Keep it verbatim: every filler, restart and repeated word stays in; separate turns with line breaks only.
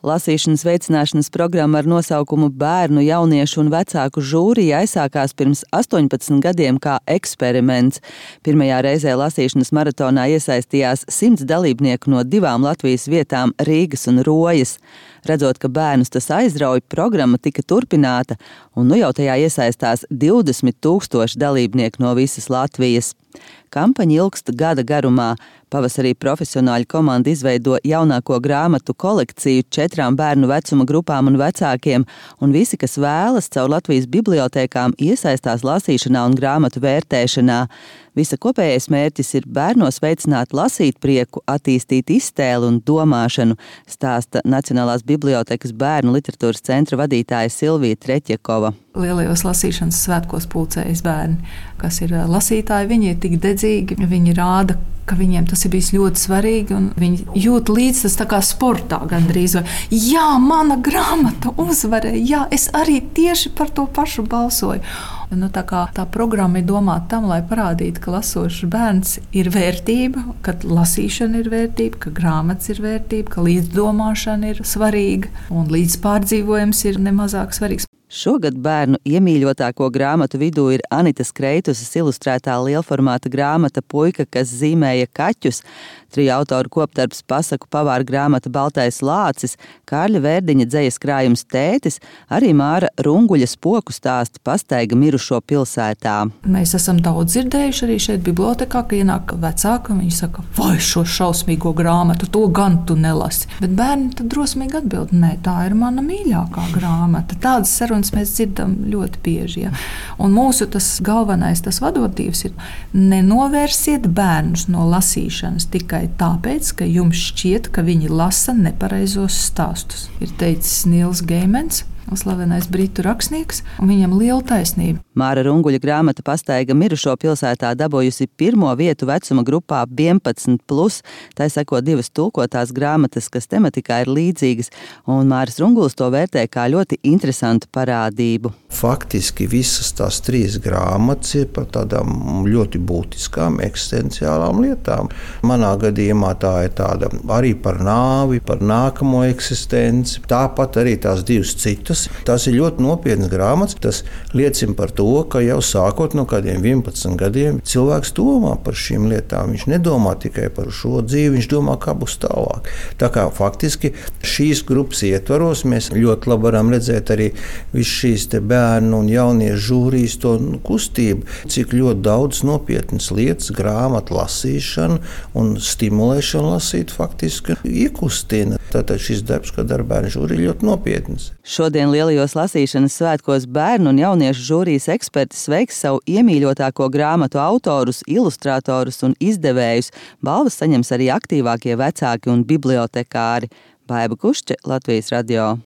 Lasīšanas veicināšanas programma ar nosaukumu Bērnu, jauniešu un vecāku žūrija aizsākās pirms astoņpadsmit gadiem kā eksperiments. Pirmajā reizē lasīšanas maratonā iesaistījās simts dalībnieku no divām Latvijas vietām – Rīgas un Rojas. Redzot, ka bērnus tas aizrauj, programma tika turpināta, un nu jau tajā iesaistās divdesmit tūkstoši dalībnieku no visas Latvijas. Kampaņa ilgst gada garumā. Pavasarī profesionāļu komanda izveido jaunāko grāmatu kolekciju četrām bērnu vecuma grupām un vecākiem, un visi, kas vēlas, caur Latvijas bibliotēkām iesaistās lasīšanā un grāmatu vērtēšanā. Visa kopējais mērķis ir bērnos veicināt lasīt prieku, attīstīt iztēli un domāšanu, stāsta Nacionālās bibliotēkas bērnu literatūras centra vadītāja Silvija Treķjakova.
Lielajos lasīšanas svētkos pulcējas bērni, kas ir lasītāji, viņi ir tik dedzīgi, viņi rāda, ka viņiem tas ir bijis ļoti svarīgi, un viņi jūt līdz tas tā kā sportā gandrīz. Vai, jā, mana grāmata uzvarēja, jā, es arī tieši par to pašu balsoju. Nu, tā kā tā programma ir domāta tam, lai parādītu, ka lasošs bērns ir vērtība, ka lasīšana ir vērtība, ka grāmatas ir vērtība, ka līdzdomāšana ir svarīga un līdzpārdzīvojums ir nemazāk svarīgs.
Šogad bērnu iemīļotāko grāmatu vidū ir Anitas Kreitusas ilustrētā lielformāta grāmata Puika, kas zīmēja kaķus, triju autoru kopdarbs pasaku pavāra grāmata Baltais lācis, Kārļa Vērdiņa dzejas krājums Tētis, arī Māra Runguļa spoku stāsti Pastaiga mirušo pilsētā.
Mēs esam daudz dzirdējuši arī šeit bibliotekā, ka ienāk vecāki un viņi saka, vai šo šausmīgo grāmatu, to gan tu nelasi. Bet bērni tad drosmīgi atbild, nē, tā ir mana mīļākā grāmata. Tādas sarunas mēs dzirdam ļoti bieži. Ja? Un mūsu tas galvenais, tas vadotīvs ir nenovērsiet bērnus no lasīšanas tikai tāpēc, ka jums šķiet, ka viņi lasa nepareizos stāstus. Ir teicis Nils Geimans, slavenais britu rakstnieks, un viņam liela taisnība.
Māra Runguļa grāmata Pastaiga mirušo pilsētā dabūjusi pirmo vietu vecuma grupā vienpadsmit plus. Tai seko divas tulkotās grāmatas, kas tematikā ir līdzīgas, un Māris Runguls to vērtē kā ļoti interesantu parādību.
Faktiski visas tās trīs grāmatas ir par tādām ļoti būtiskām eksistenciālām lietām. Manā gadījumā tā ir tāda arī par nāvi, par nākamo eksistenci, tāpat arī tās divas citas. Tas ir ļoti nopietnas grāmatas. Tas liecina par to, ka jau sākot no kādiem vienpadsmit gadiem cilvēks domā par šīm lietām. Viņš nedomā tikai par šo dzīvi, viņš domā, kā būs tālāk. Tā kā faktiski šīs grupas ietvaros mēs ļoti labi varam redzēt arī visu šīs te bērnu un jauniešu žūrijas to kustību, cik ļoti daudz nopietnas lietas, grāmatu lasīšana un stimulēšana lasīt faktiski iekustina. Tātad šis darbs, kad ar bērnu žūriju, ļoti nopietnas.
Šodien lielajos lasīšanas svētkos bērnu un jauniešu žūrijas eksperti sveiks savu iemīļotāko grāmatu autorus, ilustratorus un izdevējus. Balvas saņems arī aktīvākie vecāki un bibliotekāri. Baiba Kušče, Latvijas radio.